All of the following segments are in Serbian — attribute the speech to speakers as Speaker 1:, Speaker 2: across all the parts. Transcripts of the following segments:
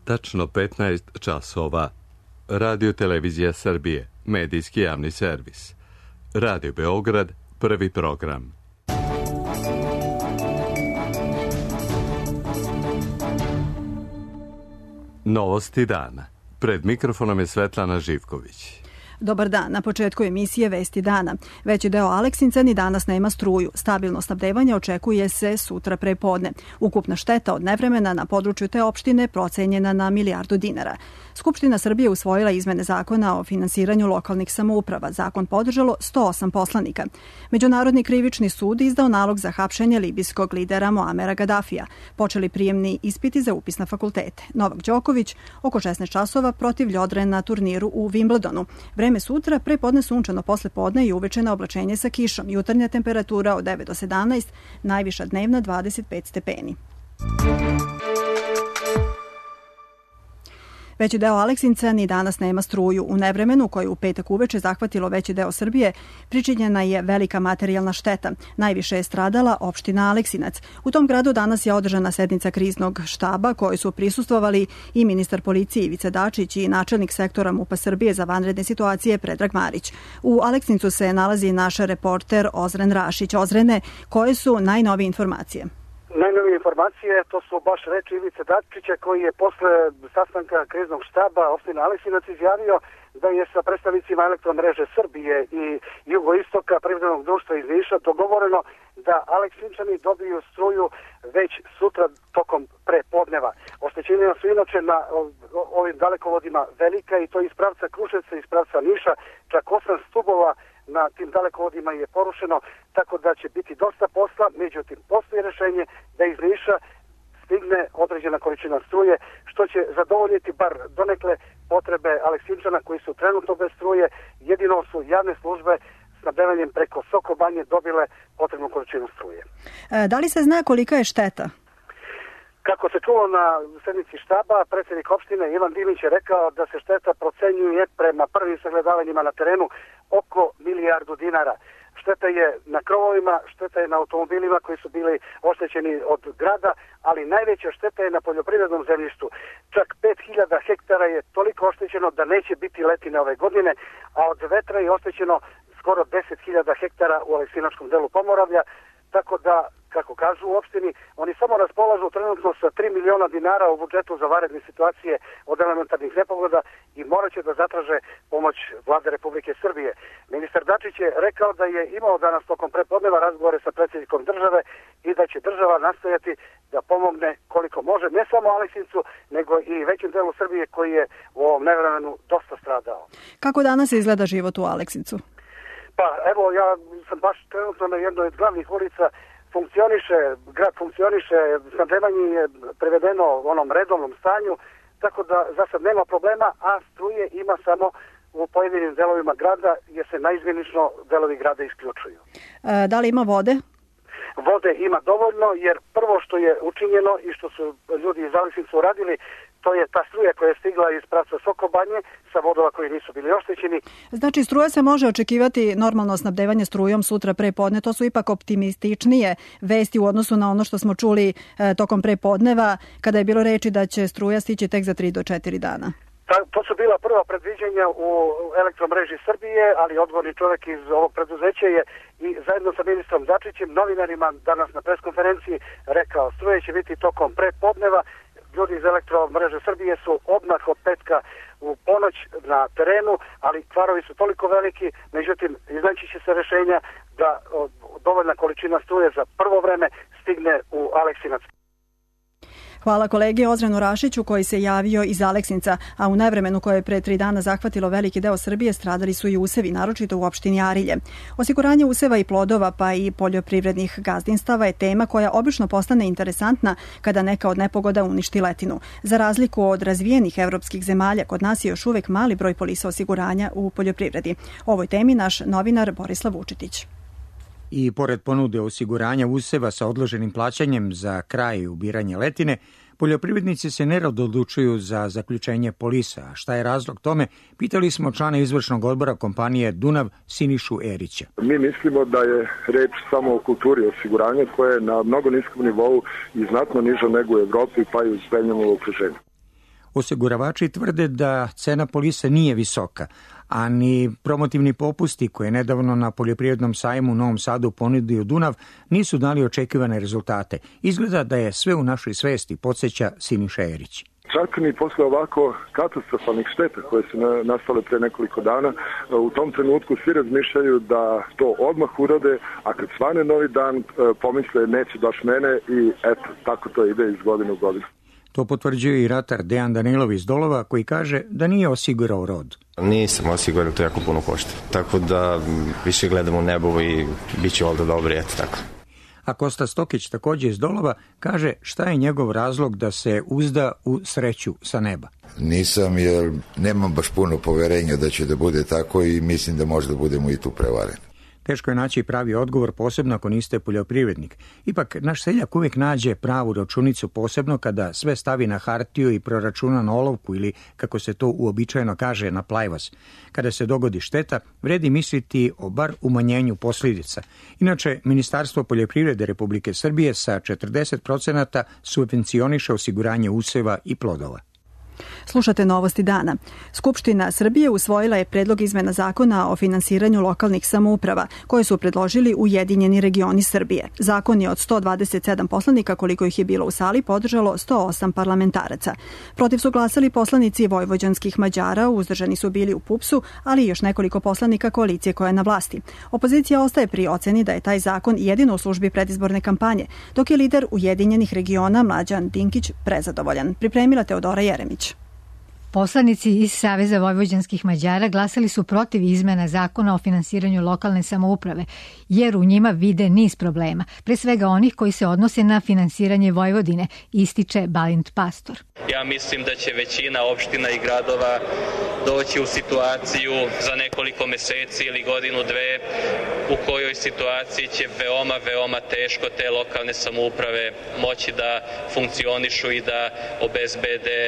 Speaker 1: tačno 15 časova. Radio Televizija Srbije, medijski javni servis. Radio Beograd, prvi program. Novosti dana. Pred mikrofonom je Svetlana Živković.
Speaker 2: Dobar dan. Na početku emisije Vesti dana. Veći deo Aleksinca ni danas nema struju. Stabilno snabdevanje očekuje se sutra pre podne. Ukupna šteta od nevremena na području te opštine procenjena na milijardu dinara. Skupština Srbije usvojila izmene zakona o finansiranju lokalnih samouprava. Zakon podržalo 108 poslanika. Međunarodni krivični sud izdao nalog za hapšenje libijskog lidera Muamera Gadafija. Počeli prijemni ispiti za upis na fakultete. Novak Đoković oko 16 časova protiv Ljodre na turniru u Wimbledonu. Vreme sutra, pre podne sunčano, posle podne i uveče na oblačenje sa kišom. Jutarnja temperatura od 9 do 17, najviša dnevna 25 stepeni. Veći deo Aleksinca ni danas nema struju. U nevremenu koje u petak uveče zahvatilo veći deo Srbije pričinjena je velika materijalna šteta. Najviše je stradala opština Aleksinac. U tom gradu danas je održana sednica kriznog štaba kojoj su prisustvovali i ministar policije Ivica Dačić i načelnik sektora MUP-a Srbije za vanredne situacije Predrag Marić. U Aleksincu se nalazi naš reporter Ozren Rašić. Ozrene, koje su najnovije informacije?
Speaker 3: Najnovije informacije, to su baš reči Ivice Dačića koji je posle sastanka kriznog štaba opštine Aleksinac izjavio da je sa predstavnicima Elektromreže Srbije i Jugoistoka privrednog društva iz Niša dogovoreno da Aleksinčani dobiju struju već sutra tokom prepodneva. Oštećenja su inače na ovim dalekovodima velika i to iz pravca Kruševca i iz pravca Niša, čak 8 stubova na tim dalekovodima je porušeno, tako da će biti dosta posla, međutim postoji rešenje da iz Niša stigne određena količina struje, što će zadovoljiti bar donekle potrebe Aleksinčana koji su trenutno bez struje. Jedino su javne službe snabdevanjem preko Sokobanje dobile potrebnu količinu struje.
Speaker 2: Da li se zna kolika je šteta?
Speaker 3: Kako se čulo na sednici štaba, predsjednik opštine Ivan Dimić je rekao da se šteta procenjuje prema prvim sagledavanjima na terenu oko milijardu dinara. Šteta je na krovovima, šteta je na automobilima koji su bili oštećeni od grada, ali najveća šteta je na poljoprivrednom zemljištu. Čak 5000 hektara je toliko oštećeno da neće biti letine ove godine, a od vetra je oštećeno skoro 10.000 hektara u aleksinačkom delu Pomoravlja, tako da, kako kažu u opštini, oni samo raspolažu trenutno sa 3 miliona dinara u budžetu za vanredne situacije od elementarnih nepogoda i morat će da zatraže pomoć Vlade Republike Srbije. Ministar Dačić je rekao da je imao danas tokom prepodneva razgovore sa predsjednikom države i da će država nastojati da pomogne koliko može, ne samo Aleksincu, nego i većem delu Srbije koji je u ovom nevremenu dosta stradao.
Speaker 2: Kako danas izgleda život u Aleksincu?
Speaker 3: Pa evo, ja sam baš trenutno na jednoj od glavnih ulica, grad funkcioniše, snabdevanje je prevedeno u onom redovnom stanju, tako da za sad nema problema, a struje ima samo u pojedinim delovima grada, jer se naizmjenično delovi grada isključuju.
Speaker 2: Da li ima vode?
Speaker 3: Vode ima dovoljno, jer prvo što je učinjeno i što su ljudi iz Aleksinca uradili, to je ta struja koja je stigla iz pravca Sokobanje sa vodova koji nisu bili oštećeni.
Speaker 2: Znači, struja se može očekivati normalno snabdevanje strujom sutra pre podne. To su ipak optimističnije vesti u odnosu na ono što smo čuli tokom pre podneva, kada je bilo reči da će struja stići tek za 3 do 4 dana.
Speaker 3: To su bila prva predviđenja u Elektromreži Srbije, ali odgovorni čovjek iz ovog preduzeća je i zajedno sa ministrom Dačićem novinarima danas na preskonferenciji rekao struje će biti tokom prepodneva. Ljudi iz Elektromreže Srbije su odmah od petka u ponoć na terenu, ali kvarovi su toliko veliki, međutim iznaći će se rešenja da dovoljna količina struje za prvo vreme stigne u Aleksinac.
Speaker 2: Hvala kolegi Ozrenu Rašiću koji se javio iz Aleksinca, a u nevremenu koje je pre 3 dana zahvatilo veliki deo Srbije stradali su i usevi, naročito u opštini Arilje. Osiguranje useva i plodova pa i poljoprivrednih gazdinstava je tema koja obično postane interesantna kada neka od nepogoda uništi letinu. Za razliku od razvijenih evropskih zemalja, kod nas je još uvek mali broj polisa osiguranja u poljoprivredi. O ovoj temi naš novinar Borislav Vučetić.
Speaker 4: I pored ponude osiguranja useva sa odloženim plaćanjem za kraj ubiranja letine, poljoprivrednici se nerado odlučuju za zaključenje polisa. A šta je razlog tome? Pitali smo člana izvršnog odbora kompanije Dunav Sinišu Erića.
Speaker 5: Mi mislimo da je reč samo o kulturi osiguranja koja je na mnogo niskom nivou i znatno niža nego u Evropi pa i u zemljama u okruženju.
Speaker 4: Osiguravači tvrde da cena polisa nije visoka, a ni promotivni popusti koje je nedavno na poljoprivrednom sajmu u Novom Sadu ponudio Dunav nisu dali očekivane rezultate. Izgleda da je sve u našoj svesti, podsjeća Siniša Erić.
Speaker 5: Čak ni posle ovako katastrofalnih šteta koje su nastale pre nekoliko dana, u tom trenutku svi razmišljaju da to odmah urade, a kad svane novi dan pomisle neće baš mene i eto, tako to ide iz godine u godinu.
Speaker 4: To potvrđuje i ratar Dejan Danilov iz Dolova koji kaže da nije osigurao rod.
Speaker 6: Nisam osiguran, to jako puno košta. Tako da više gledam u nebo i bit će ovdje dobri, eto tako.
Speaker 4: A Kosta Stokić također iz Dolova kaže šta je njegov razlog da se uzda u sreću sa neba.
Speaker 7: Nisam jer nemam baš puno poverenja da će da bude tako i mislim da možda budemo i tu prevareni.
Speaker 4: Teško je naći pravi odgovor, posebno ako niste poljoprivrednik. Ipak, naš seljak uvijek nađe pravu računicu, posebno kada sve stavi na hartiju i proračuna na olovku ili, kako se to uobičajeno kaže, na plajvas. Kada se dogodi šteta, vredi misliti o bar umanjenju posljedica. Inače, Ministarstvo poljoprivrede Republike Srbije sa 40% subvencioniše osiguranje useva i plodova.
Speaker 2: Slušate Novosti dana. Skupština Srbije usvojila je predlog izmena zakona o finansiranju lokalnih samouprava, koje su predložili Ujedinjeni regioni Srbije. Zakon je od 127 poslanika, koliko ih je bilo u sali, podržalo 108 parlamentaraca. Protiv su glasali poslanici vojvođanskih Mađara, uzdržani su bili u PUPS-u, ali i još nekoliko poslanika koalicije koja je na vlasti. Opozicija ostaje pri oceni da je taj zakon jedino u službi predizborne kampanje, dok je lider Ujedinjenih regiona Mlađan Dinkić prezadovoljan. Pripremila Teodora Jeremić.
Speaker 8: Poslanici iz Saveza vojvođanskih Mađara glasali su protiv izmena zakona o finansiranju lokalne samouprave, jer u njima vide niz problema, pre svega onih koji se odnose na finansiranje Vojvodine, ističe Balint Pastor.
Speaker 9: Ja mislim da će većina opština i gradova doći u situaciju za nekoliko meseci ili godinu, dve, u kojoj situaciji će veoma teško te lokalne samouprave moći da funkcionišu i da obezbede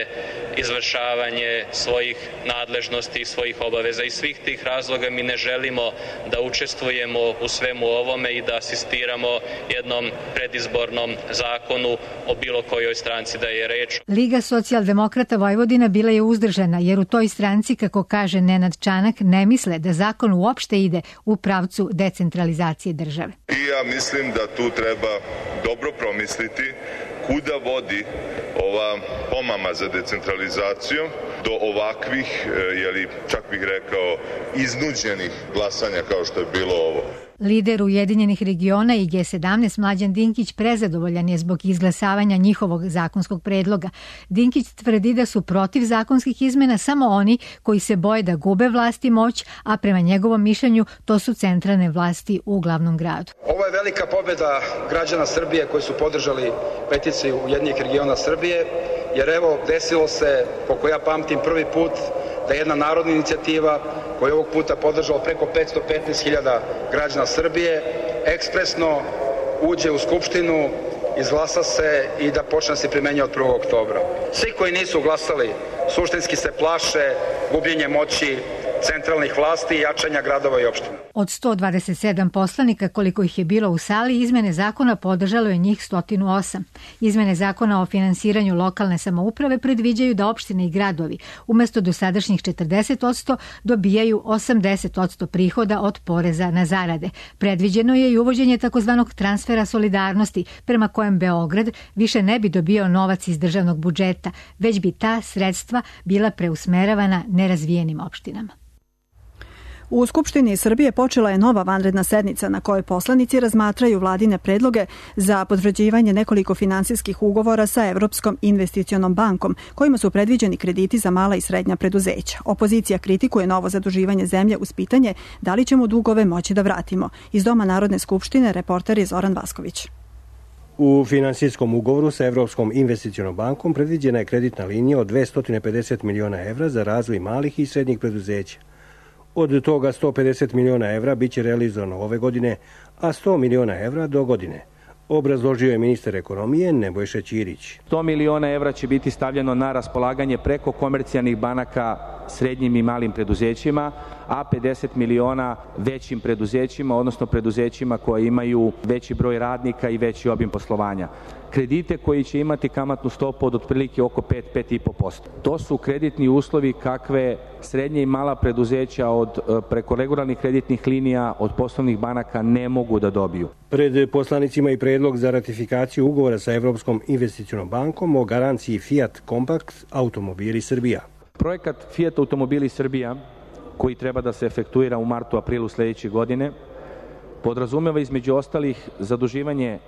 Speaker 9: izvršavanje svojih nadležnosti i svojih obaveza. Iz svih tih razloga mi ne želimo da učestvujemo u svemu ovome i da asistiramo jednom predizbornom zakonu o bilo kojoj stranci da je reč.
Speaker 8: Liga socijaldemokrata Vojvodina bila je uzdržana, jer u toj stranci, kako kaže Nenad Čanak, ne misle da zakon uopšte ide u pravcu decentralizacije države.
Speaker 10: I ja mislim da tu treba dobro promisliti kuda vodi ova pomama za decentralizaciju do ovakvih, čak bih rekao, iznuđenih glasanja kao što je bilo ovo.
Speaker 8: Lider Ujedinjenih regiona i G17 Mlađan Dinkić prezadovoljan je zbog izglasavanja njihovog zakonskog predloga. Dinkić tvrdi da su protiv zakonskih izmena samo oni koji se boje da gube vlast i moć, a prema njegovom mišljenju to su centralne vlasti u glavnom gradu.
Speaker 11: Ovo je velika pobjeda građana Srbije koji su podržali peticiju Ujedinjenih regiona Srbije, jer evo desilo se, koliko ja pamtim, prvi put da jedna narodna inicijativa koja je ovog puta podržala preko 515.000 građana Srbije, ekspresno uđe u Skupštinu, izglasa se i da počne se primenjati od 1. oktobra. Svi koji nisu glasali suštinski se plaše gubljenje moći centralnih vlasti i jačanja gradova i opština.
Speaker 8: Od 127 poslanika, koliko ih je bilo u sali, izmene zakona podržalo je njih 108. Izmene zakona o finansiranju lokalne samouprave predviđaju da opštine i gradovi umjesto dosadašnjih 40% dobijaju 80% prihoda od poreza na zarade. Predviđeno je i uvođenje takozvanog transfera solidarnosti, prema kojem Beograd više ne bi dobio novac iz državnog budžeta, već bi ta sredstva bila preusmeravana nerazvijenim opštinama.
Speaker 2: U Skupštini Srbije počela je nova vanredna sednica na kojoj poslanici razmatraju vladine predloge za potvrđivanje nekoliko finansijskih ugovora sa Evropskom investicionom bankom, kojima su predviđeni krediti za mala i srednja preduzeća. Opozicija kritikuje novo zaduživanje zemlje uz pitanje da li ćemo dugove moći da vratimo. Iz Doma Narodne skupštine reporter je Zoran Vasković.
Speaker 12: U finansijskom ugovoru sa Evropskom investicionom bankom predviđena je kreditna linija od 250 miliona evra za razvoj malih i srednjih preduzeća. Od toga 150 miliona evra biće realizovano ove godine, a 100 miliona evra do godine. obrazložio je ministar ekonomije Nebojša Ćirić.
Speaker 13: 100 miliona evra će biti stavljeno na raspolaganje preko komercijalnih banaka srednjim i malim preduzećima, a 50 miliona većim preduzećima, odnosno preduzećima koje imaju veći broj radnika i veći obim poslovanja. Kredite koji će imati kamatnu stopu od otprilike oko 5-5,5%. To su kreditni uslovi kakve srednje i mala preduzeća od preko regularnih kreditnih linija od poslovnih banaka ne mogu da dobiju.
Speaker 12: Pred poslanicima i predlog za ratifikaciju ugovora sa Evropskom investicionom bankom o garanciji Fiat Compact Automobili Srbija.
Speaker 13: Projekat Fiat Automobili Srbija, koji treba da se efektuira u martu-aprilu sledeće godine, podrazumeva između ostalih zaduživanje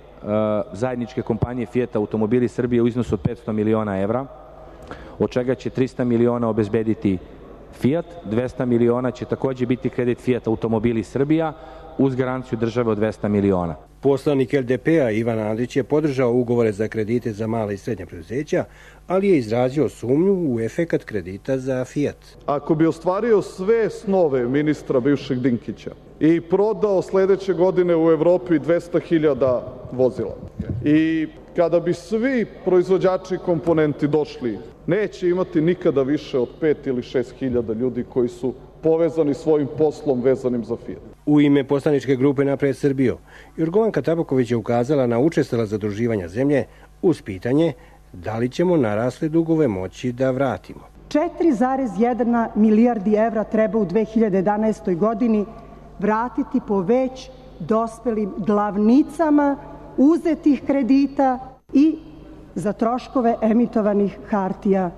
Speaker 13: zajedničke kompanije Fiat Automobili Srbije u iznosu od 500 miliona evra, od čega će 300 miliona obezbediti Fiat, 200 miliona će takođe biti kredit Fiat Automobili Srbija uz garanciju države od 200 miliona.
Speaker 12: Poslanik LDP-a Ivan Andrić je podržao ugovore za kredite za mala i srednja preduzeća, ali je izrazio sumnju u efekat kredita za Fiat.
Speaker 14: Ako bi ostvario sve snove ministra bivšeg Dinkića i prodao sledeće godine u Evropi 200.000 vozila i kada bi svi proizvođači komponenti došli, neće imati nikada više od 5 ili 6.000 ljudi koji su povezani svojim poslom vezanim za Fiat.
Speaker 12: U ime poslaničke grupe Napred Srbiju, Jorgovanka Tabaković je ukazala na učestala zaduživanja zemlje uz pitanje da li ćemo narasle dugove moći da vratimo.
Speaker 15: 4,1 milijardi evra treba u 2011. godini vratiti po već dospelim glavnicama uzetih kredita i za troškove emitovanih hartija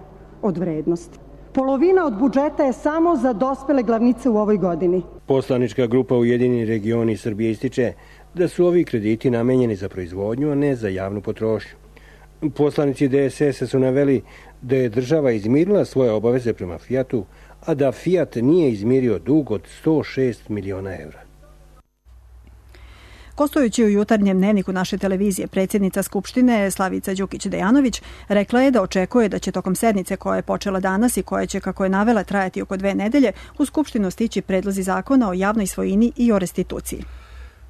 Speaker 15: od vrednosti. Polovina od budžeta je samo za dospele glavnice u ovoj godini.
Speaker 12: Poslanička grupa Ujedinjeni regioni Srbije ističe da su ovi krediti namenjeni za proizvodnju, a ne za javnu potrošnju. Poslanici DSS su naveli da je država izmirila svoje obaveze prema Fiatu, a da Fiat nije izmirio dug od 106 miliona evra.
Speaker 2: Gostujući u jutarnjem dnevniku naše televizije, predsjednica Skupštine Slavica Đukić-Dejanović rekla je da očekuje da će tokom sednice koja je počela danas i koja će, kako je navela, trajati oko 2 nedelje, u Skupštinu stići predlozi zakona o javnoj svojini i o restituciji.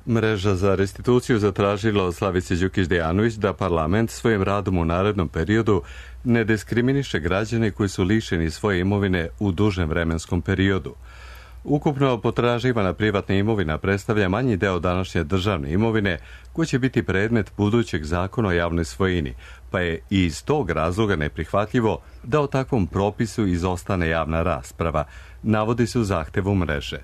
Speaker 1: Mreža za restituciju zatražila od Slavice Đukić-Dejanović da parlament svojim radom u narednom periodu ne diskriminiše građane koji su lišeni svoje imovine u dužem vremenskom periodu. Ukupno potraživana privatna imovina predstavlja manji deo današnje državne imovine koji će biti predmet budućeg zakona o javnoj svojini, pa je i iz tog razloga neprihvatljivo da o takvom propisu izostane javna rasprava, navodi se u zahtevu mreže.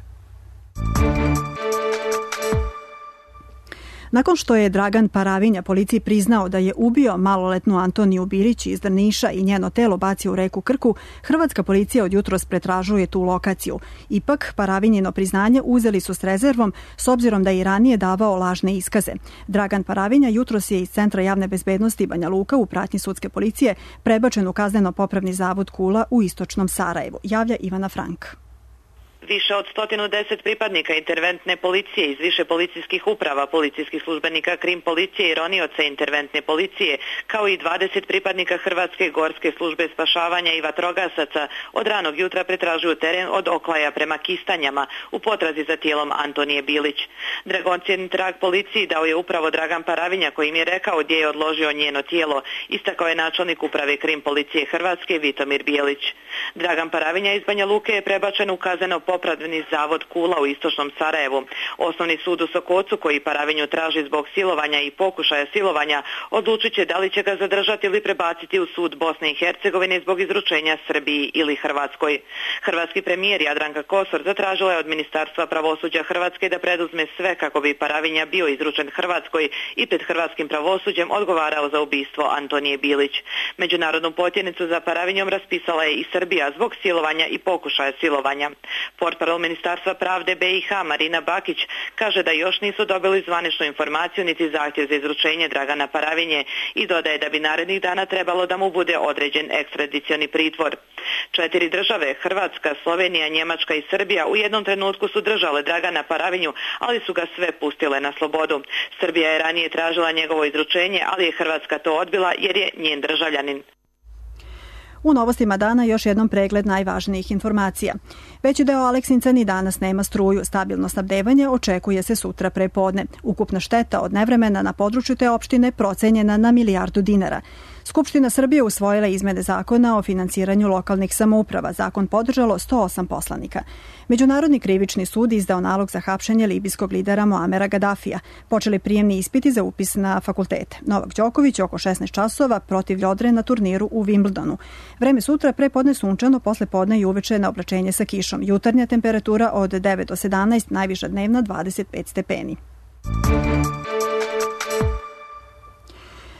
Speaker 2: Nakon što je Dragan Paravinja policiji priznao da je ubio maloletnu Antoniju Bilić iz Drniša i njeno telo bacio u reku Krku, hrvatska policija od jutros pretražuje tu lokaciju. Ipak, Paravinjino priznanje uzeli su s rezervom s obzirom da je i ranije davao lažne iskaze. Dragan Paravinja jutros je iz Centra javne bezbednosti Banja Luka u pratnji sudske policije prebačen u kazneno-popravni zavod Kula u istočnom Sarajevu, javlja Ivana Frank.
Speaker 16: Više od 110 pripadnika interventne policije iz više policijskih uprava, policijskih službenika krim policije i ronioca interventne policije, kao i 20 pripadnika Hrvatske gorske službe spašavanja i vatrogasaca od ranog jutra pretražuju teren od Oklaja prema Kistanjama u potrazi za tijelom Antonije Bilić. Dragoncjen trag policiji dao je upravo Dragan Paravinja koji im je rekao gdje je odložio njeno tijelo, istakao je načelnik uprave krim policije Hrvatske Vitomir Bijelić. Dragan Paravinja iz Banja Luke je prebačen u kazneno-popravni zavod Kula u istočnom Sarajevu. Osnovni sud u Sokocu, koji Paravinju traži zbog silovanja i pokušaja silovanja, odlučit će da li će ga zadržati ili prebaciti u sud Bosne i Hercegovine zbog izručenja Srbiji ili Hrvatskoj. Hrvatski premijer Jadranka Kosor zatražila je od Ministarstva pravosuđa Hrvatske da preduzme sve kako bi Paravinja bio izručen Hrvatskoj i pred hrvatskim pravosuđem odgovarao za ubistvo Antonije Bilić. Međunarodnu potjernicu za Paravinjom raspisala je i Srbija zbog silovanja i pokušaja silovanja. Portparol Ministarstva pravde BiH Marina Bakić kaže da još nisu dobili zvaničnu informaciju niti zahtjev za izručenje Dragana Paravinje i dodaje da bi narednih dana trebalo da mu bude određen ekstradicioni pritvor. 4 države, Hrvatska, Slovenija, Njemačka i Srbija, u jednom trenutku su držale Dragana Paravinju, ali su ga sve pustile na slobodu. Srbija je ranije tražila njegovo izručenje, ali je Hrvatska to odbila jer je njen državljanin.
Speaker 2: U novostima dana još jednom pregled najvažnijih informacija. Veći deo Aleksinca ni danas nema struju. Stabilno snabdevanje očekuje se sutra pre podne. Ukupna šteta od nevremena na području te opštine procenjena na milijardu dinara. Skupština Srbije usvojila izmene zakona o finansiranju lokalnih samouprava. Zakon podržalo 108 poslanika. Međunarodni krivični sud izdao nalog za hapšenje libijskog lidera Muamera Gadafija. Počeli prijemni ispiti za upis na fakultete. Novak Đoković oko 16 časova protiv Ljodre na turniru u Wimbledonu. Vreme sutra prepodne sunčano, posle podne i uveče na oblačenje sa kišom. Jutarnja temperatura od 9 do 17, najviša dnevna 25 stepeni.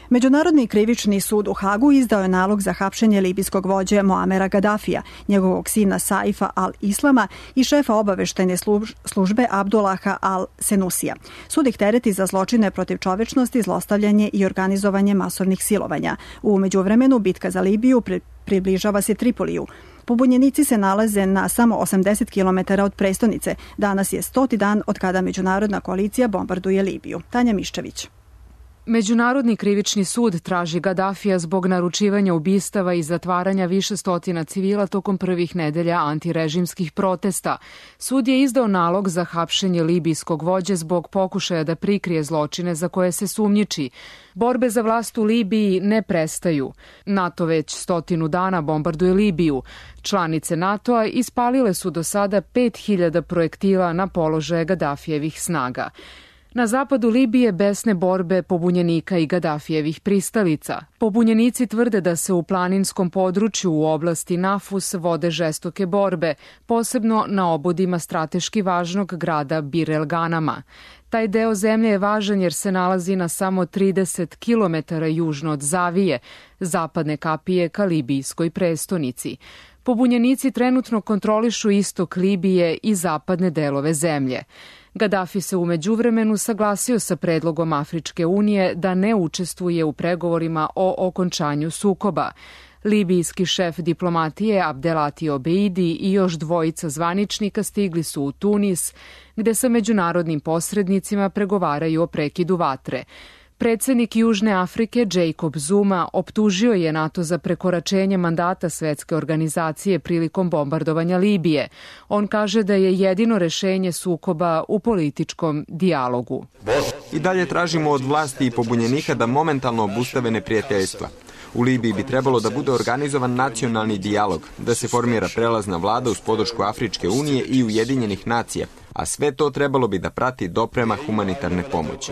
Speaker 2: Međunarodni krivični sud u Hagu izdao je nalog za hapšenje libijskog vođe Muamera Gadafija, njegovog sina Saifa al-Islama i šefa obaveštajne službe Abdullaha al-Senusija. Sud ih tereti za zločine protiv čovečnosti, zlostavljanje i organizovanje masovnih silovanja. U međuvremenu bitka za Libiju približava se Tripoliju. Pobunjenici se nalaze na samo 80 km od prestonice. Danas je 100. dan od kada međunarodna koalicija bombarduje Libiju. Tanja Miščević.
Speaker 17: Međunarodni krivični sud traži Gadafija zbog naručivanja ubistava i zatvaranja više stotina civila tokom prvih nedelja antirežimskih protesta. Sud je izdao nalog za hapšenje libijskog vođe zbog pokušaja da prikrije zločine za koje se sumnjiči. Borbe za vlast u Libiji ne prestaju. NATO već 100 dana bombarduje Libiju. Članice NATO-a ispalile su do sada 5000 projektila na položaje Gadafijevih snaga. Na zapadu Libije besne borbe pobunjenika i Gadafijevih pristalica. Pobunjenici tvrde da se u planinskom području u oblasti Nafus vode žestoke borbe, posebno na obodima strateški važnog grada Bir el Ganama. Taj deo zemlje je važan jer se nalazi na samo 30 km južno od Zavije, zapadne kapije ka libijskoj prestonici. Pobunjenici trenutno kontrolišu istok Libije i zapadne delove zemlje. Gadafi se u međuvremenu saglasio sa predlogom Afričke unije da ne učestvuje u pregovorima o okončanju sukoba. Libijski šef diplomatije Abdelati Obeidi i još dvojica zvaničnika stigli su u Tunis, gde sa međunarodnim posrednicima pregovaraju o prekidu vatre. Predsednik Južne Afrike Jacob Zuma optužio je NATO za prekoračenje mandata Svetske organizacije prilikom bombardovanja Libije. On kaže da je jedino rešenje sukoba u političkom dijalogu.
Speaker 18: I dalje tražimo od vlasti i pobunjenika da momentalno obustave neprijateljstva. U Libiji bi trebalo da bude organizovan nacionalni dijalog, da se formira prelazna vlada uz podršku Afričke unije i Ujedinjenih nacija, a sve to trebalo bi da prati doprema humanitarne pomoći.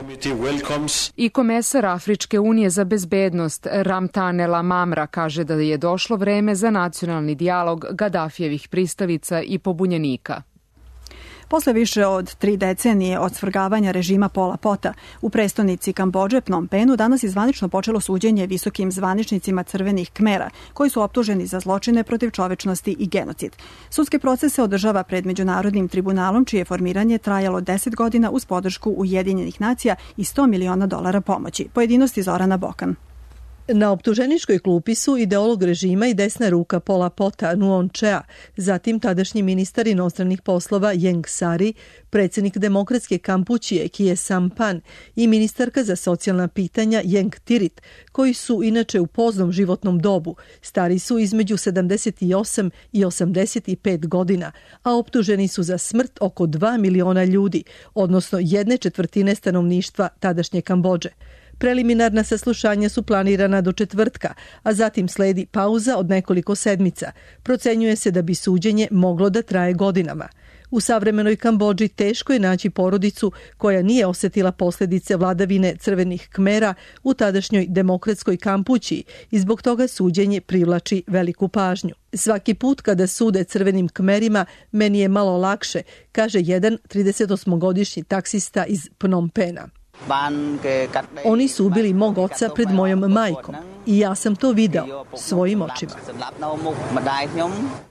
Speaker 17: I komesar Afričke unije za bezbednost Ramtane Lamamra kaže da je došlo vreme za nacionalni dijalog Gadafijevih pristalica i pobunjenika.
Speaker 2: Posle više od 3 decenije od svrgavanja režima Pola Pota u prestonici Kambodže, Phnom Penhu, danas je zvanično počelo suđenje visokim zvaničnicima Crvenih Kmera, koji su optuženi za zločine protiv čovečnosti i genocid. Sudske procese održava pred Međunarodnim tribunalom, čije formiranje trajalo 10 godina uz podršku Ujedinjenih nacija i $100 miliona pomoći. Pojedinosti Zorana Bokan.
Speaker 19: Na optuženičkoj klupi su ideolog režima i desna ruka Pola Pota Nuon Chea, zatim tadašnji ministar inostranih poslova Ieng Sari, predsjednik demokratske Kampučije Kie Sampan i ministarka za socijalna pitanja Ieng Tirit, koji su inače u poznom životnom dobu, stari su između 78 i 85 godina, a optuženi su za smrt oko 2 miliona ljudi, odnosno 1/4 stanovništva tadašnje Kambodže. Preliminarna saslušanja su planirana do četvrtka, a zatim sledi pauza od nekoliko sedmica. Procenjuje se da bi suđenje moglo da traje godinama. U savremenoj Kambodži teško je naći porodicu koja nije osjetila posljedice vladavine Crvenih Kmera u tadašnjoj demokratskoj Kampučiji i zbog toga suđenje privlači veliku pažnju. Svaki put kada sude Crvenim Kmerima, meni je malo lakše, kaže jedan 38-godišnji taksista iz Phnom Penha. Oni su ubili mog oca pred mojom majkom i ja sam to video svojim očima.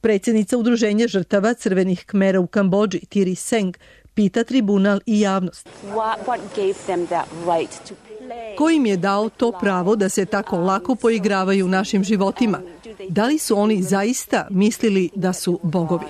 Speaker 19: Predsjednica udruženja žrtava Crvenih Kmera u Kambodži, Tiri Seng, pita tribunal i javnost. Ko im je dao to pravo da se tako lako poigravaju našim životima? Da li su oni zaista mislili da su bogovi?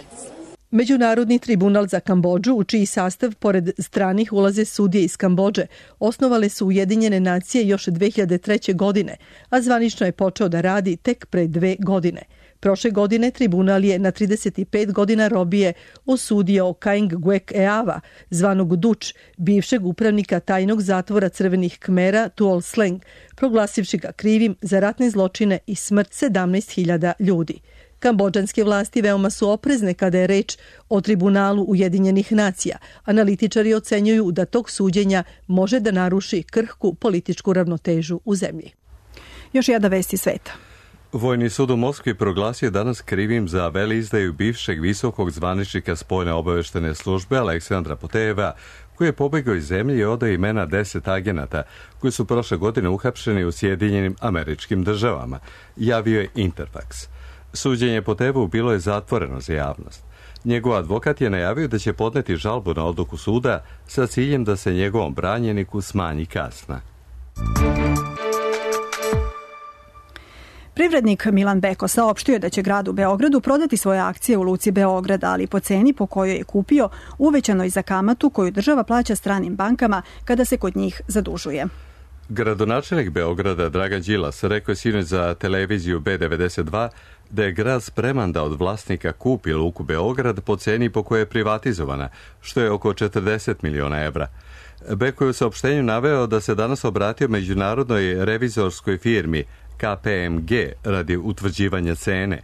Speaker 19: Međunarodni tribunal za Kambodžu, u čiji sastav pored stranih ulaze sudije iz Kambodže, osnovale su Ujedinjene nacije još 2003. godine, a zvanično je počeo da radi tek pre 2 godine. Prošle godine tribunal je na 35 godina robije osudio Kaing Guek Eava, zvanog Duč, bivšeg upravnika tajnog zatvora Crvenih Kmera Tuol Sleng, proglasivši ga krivim za ratne zločine i smrt 17.000 ljudi. Kambodžanske vlasti veoma su oprezne kada je reč o tribunalu Ujedinjenih nacija. Analitičari ocenjuju da tog suđenja može da naruši krhku političku ravnotežu u zemlji.
Speaker 2: Još jedna vest iz sveta.
Speaker 1: Vojni sud u Moskvi proglasio danas krivim za veleizdaju bivšeg visokog zvaničnika spoljne obaveštene službe Aleksandra Poteva, koji je pobegao iz zemlje i odao imena 10 agenata koji su prošle godine uhapšeni u Sjedinjenim Američkim Državama, javio je Interfax. Suđenje Potevu bilo je zatvoreno za javnost. Njegov advokat je najavio da će podneti žalbu na odluku suda sa ciljem da se njegovom branjeniku smanji kazna.
Speaker 2: Privrednik Milan Beko saopštio je da će gradu Beogradu prodati svoje akcije u Luci Beograd, ali po ceni po kojoj je kupio, uvećanoj za kamatu koju država plaća stranim bankama kada se kod njih zadužuje.
Speaker 1: Gradonačelnik Beograda Dragan Đilas rekao je sinoć za televiziju B92 da je grad spreman da od vlasnika kupi Luku Beograd po ceni po kojoj je privatizovana, što je oko 40 miliona evra. Beko je u saopštenju naveo da se danas obratio međunarodnoj revizorskoj firmi KPMG radi utvrđivanja cene.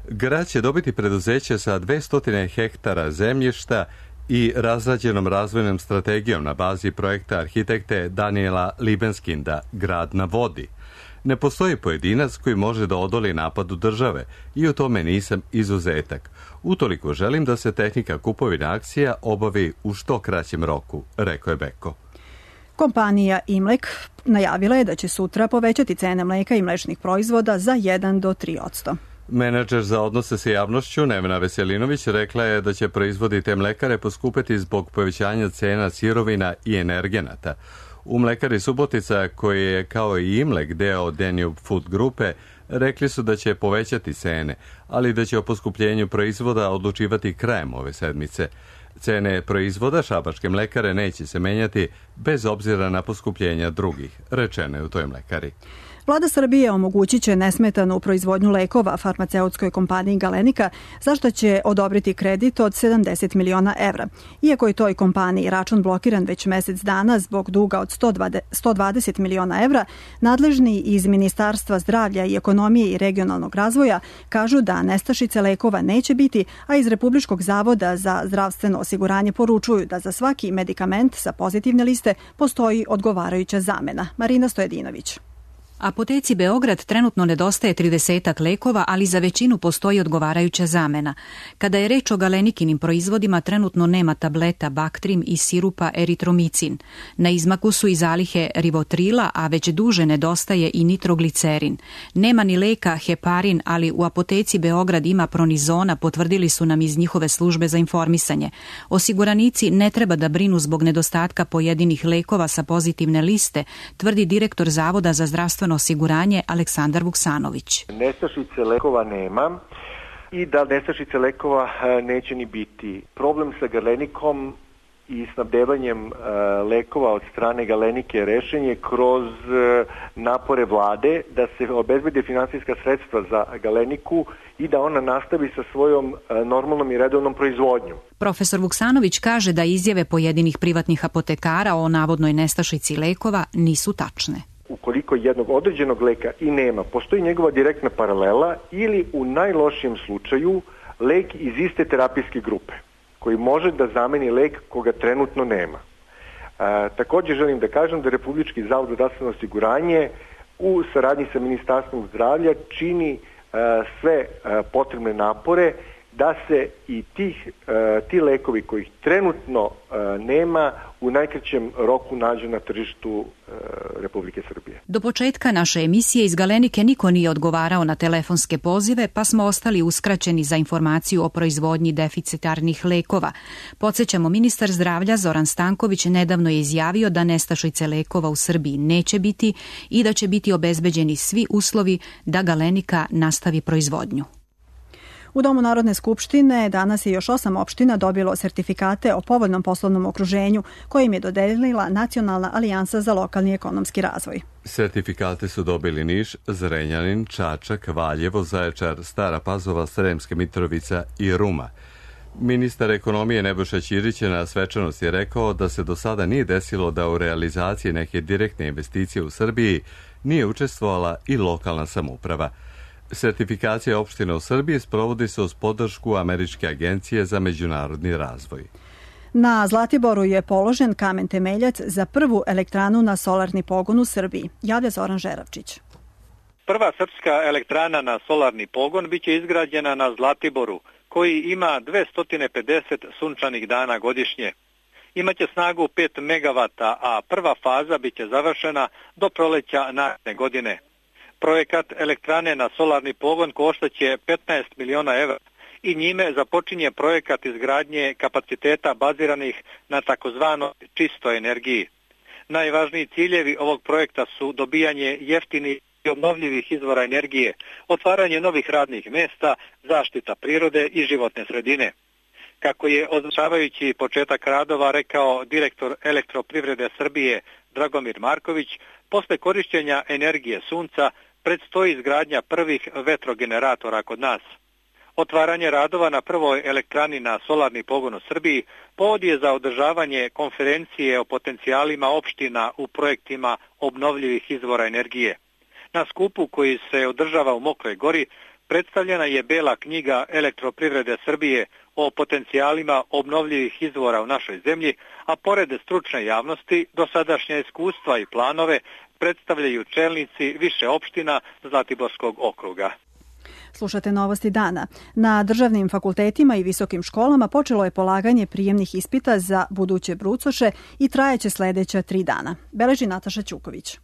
Speaker 1: Grad će dobiti preduzeće sa 200 hektara zemljišta i razrađenom razvojnom strategijom na bazi projekta arhitekte Daniela Libenskinda Grad na vodi. Ne postoji pojedinac koji može da odoli napadu države i u tome nisam izuzetak. Utoliko želim da se tehnika kupovine akcija obavi u što kraćem roku, rekao je Beko.
Speaker 2: Kompanija Imlek najavila je da će sutra povećati cene mleka i mlečnih proizvoda za 1 do 3%.
Speaker 1: Menadžer za odnose sa javnošću Nevena Veselinović rekla je da će proizvodi te mlekare poskupeti zbog povećanja cena sirovina i energenata. U mlekari Subotica, koji je kao i Imlek deo Danube Food grupe, rekli su da će povećati cene, ali da će o poskupljenju proizvoda odlučivati krajem ove sedmice. Cene proizvoda šabačke mlekare neće se menjati bez obzira na poskupljenja drugih, rečeno je u toj mlekari.
Speaker 2: Vlada Srbije omogućit će nesmetanu proizvodnju lekova farmaceutskoj kompaniji Galenika, za što će odobriti kredit od 70 miliona evra. Iako je toj kompaniji račun blokiran već mesec dana zbog duga od 120 miliona evra, nadležni iz Ministarstva zdravlja i ekonomije i regionalnog razvoja kažu da nestašice lekova neće biti, a iz Republičkog zavoda za zdravstveno osiguranje poručuju da za svaki medikament sa pozitivne liste postoji odgovarajuća zamena. Marina Stojedinović.
Speaker 20: Apoteci Beograd trenutno nedostaje 30 lekova, ali za većinu postoji odgovarajuća zamena. Kada je reč o Galenikinim proizvodima, trenutno nema tableta Bactrim i sirupa eritromicin. Na izmaku su i zalihe rivotrila, a već duže nedostaje i nitroglicerin. Nema ni leka heparin, ali u apoteci Beograd ima pronizona, potvrdili su nam iz njihove službe za informisanje. Osiguranici ne treba da brinu zbog nedostatka pojedinih lekova sa pozitivne liste, tvrdi direktor Zavoda za zdravstveno osiguranje Aleksandar Vuksanović.
Speaker 21: Nestašice lekova nema i da nestašice lekova neće ni biti. Problem sa Galenikom i snabdevanjem lekova od strane Galenike rešen je kroz napore vlade da se obezbede finansijska sredstva za Galeniku i da ona nastavi sa svojom normalnom i redovnom proizvodnjom.
Speaker 20: Profesor Vuksanović kaže da izjave pojedinih privatnih apotekara o navodnoj nestašici lekova nisu tačne.
Speaker 21: Ukoliko jednog određenog leka i nema, postoji njegova direktna paralela ili u najlošijem slučaju lek iz iste terapijske grupe koji može da zameni lek koga trenutno nema. Također želim da kažem da Republički zavod za zdravstveno osiguranje u saradnji sa Ministarstvom zdravlja čini sve potrebne napore da se i ti lekovi kojih trenutno nema u najkraćem roku nađu na tržištu Republike Srbije.
Speaker 20: Do početka naše emisije iz Galenike niko nije odgovarao na telefonske pozive, pa smo ostali uskraćeni za informaciju o proizvodnji deficitarnih lekova. Podsjećamo, ministar zdravlja Zoran Stanković nedavno je izjavio da nestašice lekova u Srbiji neće biti i da će biti obezbeđeni svi uslovi da Galenika nastavi proizvodnju.
Speaker 2: U Domu Narodne skupštine danas je još 8 opština dobilo sertifikate o povoljnom poslovnom okruženju koje im je dodelila Nacionalna alijansa za lokalni ekonomski razvoj.
Speaker 1: Sertifikate su dobili Niš, Zrenjanin, Čačak, Valjevo, Zaječar, Stara Pazova, Sremska Mitrovica i Ruma. Ministar ekonomije Nebojša Ćirić je na svečanosti rekao da se do sada nije desilo da u realizaciji neke direktne investicije u Srbiji nije učestvovala i lokalna samouprava. Sertifikacija opština u Srbiji sprovodi se uz podršku Američke agencije za međunarodni razvoj.
Speaker 2: Na Zlatiboru je položen kamen temeljac za prvu elektranu na solarni pogon u Srbiji. Javlja Zoran Žeravčić.
Speaker 3: Prva srpska elektrana na solarni pogon biće izgrađena na Zlatiboru, koji ima 250 sunčanih dana godišnje. Imaće snagu 5 megavata, a prva faza biće završena do proleća naredne godine. Projekat elektrane na solarni pogon koštaće 15 miliona evra i njime započinje projekat izgradnje kapaciteta baziranih na takozvanoj čistoj energiji. Najvažniji ciljevi ovog projekta su dobijanje jeftinih i obnovljivih izvora energije, otvaranje novih radnih mesta, zaštita prirode i životne sredine. Kako je označavajući početak radova rekao direktor Elektroprivrede Srbije Dragomir Marković, posle korišćenja energije sunca predstoji izgradnja prvih vetrogeneratora kod nas. Otvaranje radova na prvoj elektrani na solarni pogon u Srbiji povod je za održavanje konferencije o potencijalima opština u projektima obnovljivih izvora energije. Na skupu koji se održava u Mokroj Gori predstavljena je bela knjiga Elektroprivrede Srbije o potencijalima obnovljivih izvora u našoj zemlji, a pored stručne javnosti, dosadašnja iskustva i planove predstavljaju čelnici više opština Zlatiborskog okruga.
Speaker 2: Slušate novosti dana. Na državnim fakultetima i visokim školama počelo je polaganje prijemnih ispita za buduće brucoše i trajeće sledeća 3 dana. Beleži Nataša Ćuković.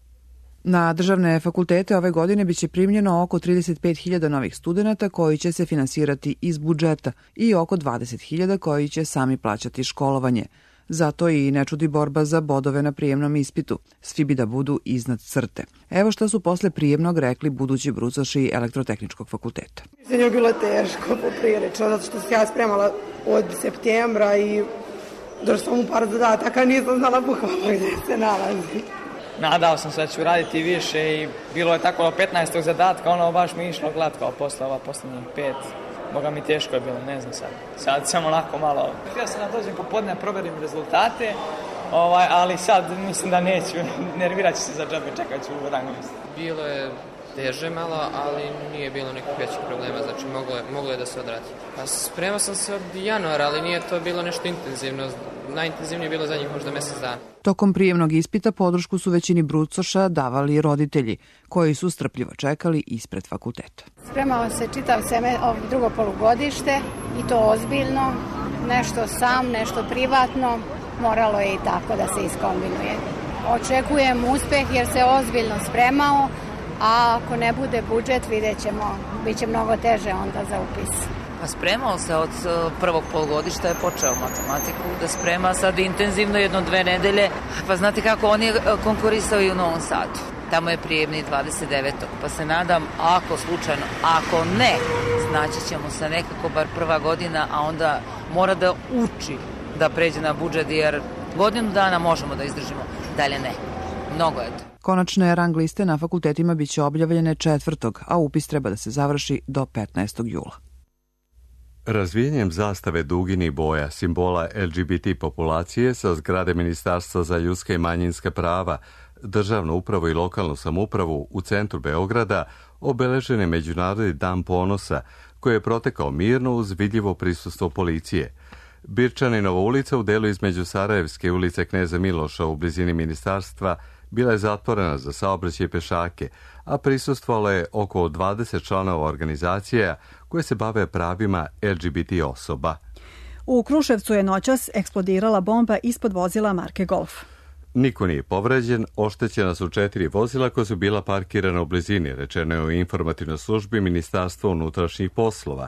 Speaker 22: Na državne fakultete ove godine biće primljeno oko 35.000 novih studenata koji će se finansirati iz budžeta i oko 20.000 koji će sami plaćati školovanje. Zato i ne čudi borba za bodove na prijemnom ispitu. Svi bi da budu iznad crte. Evo šta su posle prijemnog rekli budući brucoši Elektrotehničkog fakulteta.
Speaker 23: Mislim je bilo teško poprilično, zato što se ja spremala od septembra i došla sam u par zadataka, nisam znala bukvalno gde se nalazi.
Speaker 24: Nadao sam se da ću raditi više i bilo je tako do 15. zadatka, ono baš mi išlo glatko posle ova posljednjih 5. Boga mi teško je bilo, ne znam sad. Sad sam onako malo... Htio sam da dođem popodne, proverim rezultate, ali sad mislim da neću, nervirat ću se za džabe, čekat ću u rangu listu.
Speaker 25: Bilo je teže malo, ali nije bilo nekih većih problema, znači moglo je da se odradi. Pa spremao sam se od januara, ali nije to bilo nešto intenzivno. Najintenzivnije je bilo zadnjih možda mjesec dana.
Speaker 22: Tokom prijemnog ispita podršku su većini brucoša davali roditelji, koji su strpljivo čekali ispred fakulteta.
Speaker 26: Spremao se čitav drugo polugodište i to ozbiljno, nešto sam, nešto privatno, moralo je i tako da se iskombinuje. Očekujem uspeh jer se ozbiljno spremao, a ako ne bude budžet vidjet ćemo, bit će mnogo teže onda za upis.
Speaker 27: Spremao se od prvog polugodišta, je počeo matematiku da sprema sad intenzivno 1-2 nedelje. Pa znate kako, on je konkurisao i u Novom Sadu. Tamo je prijemni 29. Pa se nadam, ako slučajno, ako ne, znaći ćemo se nekako bar prva godina, a onda mora da uči da pređe na budžet, jer godinu dana možemo da izdržimo, dalje ne. Mnogo je to.
Speaker 22: Konačne rang liste na fakultetima biće objavljene 4. a upis treba da se završi do 15. jula.
Speaker 1: Razvijenjem zastave duginih boja, simbola LGBT populacije sa zgrade Ministarstva za ljudska i manjinska prava, državnu upravu i lokalnu samoupravu u centru Beograda obeležen je Međunarodni dan ponosa, koji je protekao mirno uz vidljivo prisustvo policije. Birčaninova ulica u delu između Sarajevske ulice Kneza Miloša u blizini ministarstva bila je zatvorena za saobraćaj i pešake, a prisustvovalo je oko 20 članova organizacija koje se bave pravima LGBT osoba.
Speaker 2: U Kruševcu je noćas eksplodirala bomba ispod vozila marke Golf.
Speaker 1: Niko nije povređen, oštećena su 4 vozila koja su bila parkirana u blizini, rečeno je u informativnoj službi Ministarstva unutrašnjih poslova.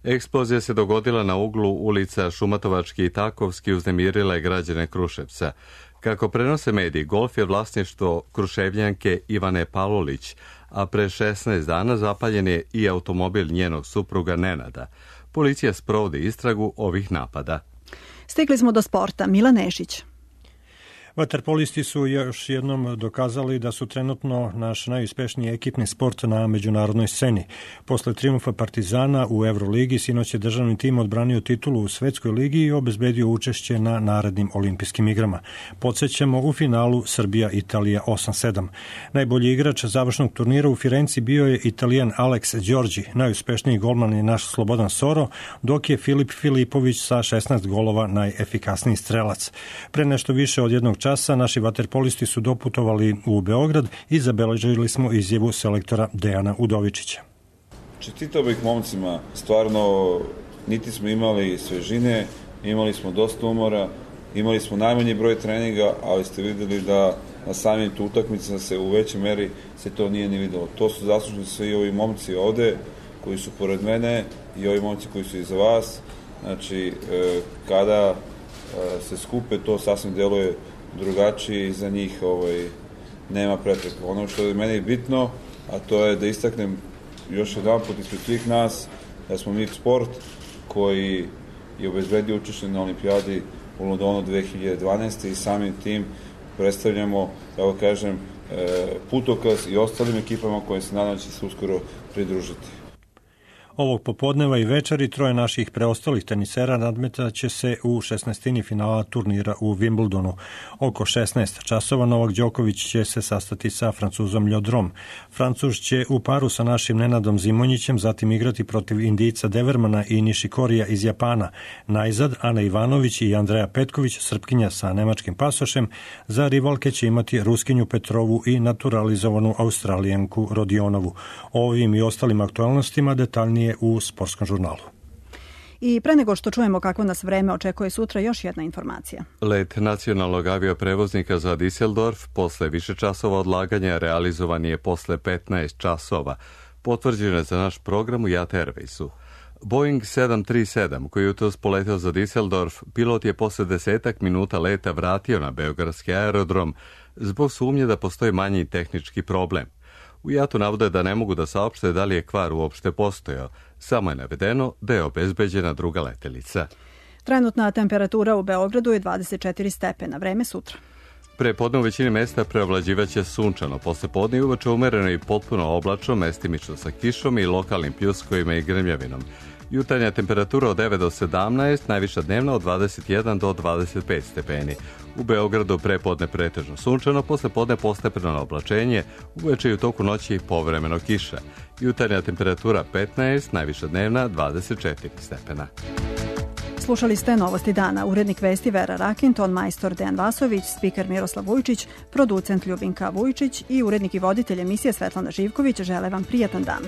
Speaker 1: Eksplozija se dogodila na uglu ulica Šumatovački i Takovski, uznemirila je građane Kruševca. Kako prenose mediji, Golf je vlasništvo Kruševljanke Ivane Palolić, a pre 16 dana zapaljen je i automobil njenog supruga Nenada. Policija sprovodi istragu ovih napada.
Speaker 2: Stigli smo do sporta. Milan Nešić.
Speaker 4: Vaterpolisti su još jednom dokazali da su trenutno naš najuspešniji ekipni sport na međunarodnoj sceni. Posle trijumfa Partizana u Euroligi, sinoć je državni tim odbranio titulu u Svetskoj ligi i obezbedio učešće na narednim olimpijskim igrama. Podsjećamo, u finalu Srbija-Italija 8-7. Najbolji igrač završnog turnira u Firenci bio je Italijan Alex Đorđi. Najuspešniji golman je naš Slobodan Soro, dok je Filip Filipović sa 16 golova najefikasniji strelac. Pre nešto više od jednog časa naši vaterpolisti su doputovali u Beograd i zabeležili smo izjavu selektora Dejana Udovičića.
Speaker 5: Čestitao bih momcima, stvarno niti smo imali svežine, imali smo dosta umora, imali smo najmanji broj treninga, ali ste videli da na samim tu utakmicama se u većoj meri se to nije ni videlo. To su zaslužni svi ovi momci ovde koji su pored mene i ovi momci koji su iza vas. Znači, kada se skupe, to sasvim deluje drugačije i za njih nema prepreka. Ono što je meni bitno, a to je da istaknem još jedan put ispred svih nas, da smo mi sport koji je obezbedio učešće na olimpijadi u Londonu 2012. i samim tim predstavljamo, evo kažem, putokaz i ostalim ekipama koje se nadam će se uskoro pridružiti.
Speaker 4: Ovog popodneva i večeri troje naših preostalih tenisera nadmetaće se u 16. finala turnira u Wimbledonu. Oko 16 časova Novak Đoković će se sastati sa Francuzom Ljodrom. Francuz će u paru sa našim Nenadom Zimonjićem zatim igrati protiv Indijca Devermana i Nišikorija iz Japana. Najzad Ana Ivanović i Andreja Petković, Srpkinja sa nemačkim pasošem, za rivalke će imati Ruskinju Petrovu i naturalizovanu Australijanku Rodionovu. O ovim i ostalim aktualnostima detaljnije u Sportskom žurnalu.
Speaker 2: I pre nego što čujemo kako nas vreme očekuje sutra, još jedna informacija.
Speaker 1: Let nacionalnog avioprevoznika za Düsseldorf posle više časova odlaganja realizovan je posle 15 časova. Potvrđeno je za naš program u JAT Airwaysu. Boeing 737, koji je jutros poleteo za Düsseldorf, pilot je posle 10 minuta leta vratio na beogradski aerodrom zbog sumnje da postoji manji tehnički problem. U JAT-u navode da ne mogu da saopšte da li je kvar uopšte postojao. Samo je navedeno da je obezbeđena druga letelica.
Speaker 2: Trenutna temperatura u Beogradu je 24 stepena. Vreme sutra.
Speaker 1: Pre podne u većini mesta preovlađivaće sunčano. Posle podne i uveče umereno i potpuno oblačno, mestimično sa kišom i lokalnim pljuskovima i grmljavinom. Jutarnja temperatura od 9 do 17, najviša dnevna od 21 do 25 stepeni. U Beogradu prepodne pretežno sunčano, posle podne postepeno oblačenje, uveče i u toku noći povremeno kiša. Jutarnja temperatura 15, najviša dnevna 24 stepena.
Speaker 2: Slušali ste Novosti dana. Urednik vesti Vera Rakin, ton majstor Dejan Vasović, spiker Miroslav Vujčić, producent Ljubinka Vujčić i urednik i voditelj emisije Svetlana Živković žele vam prijatan dan.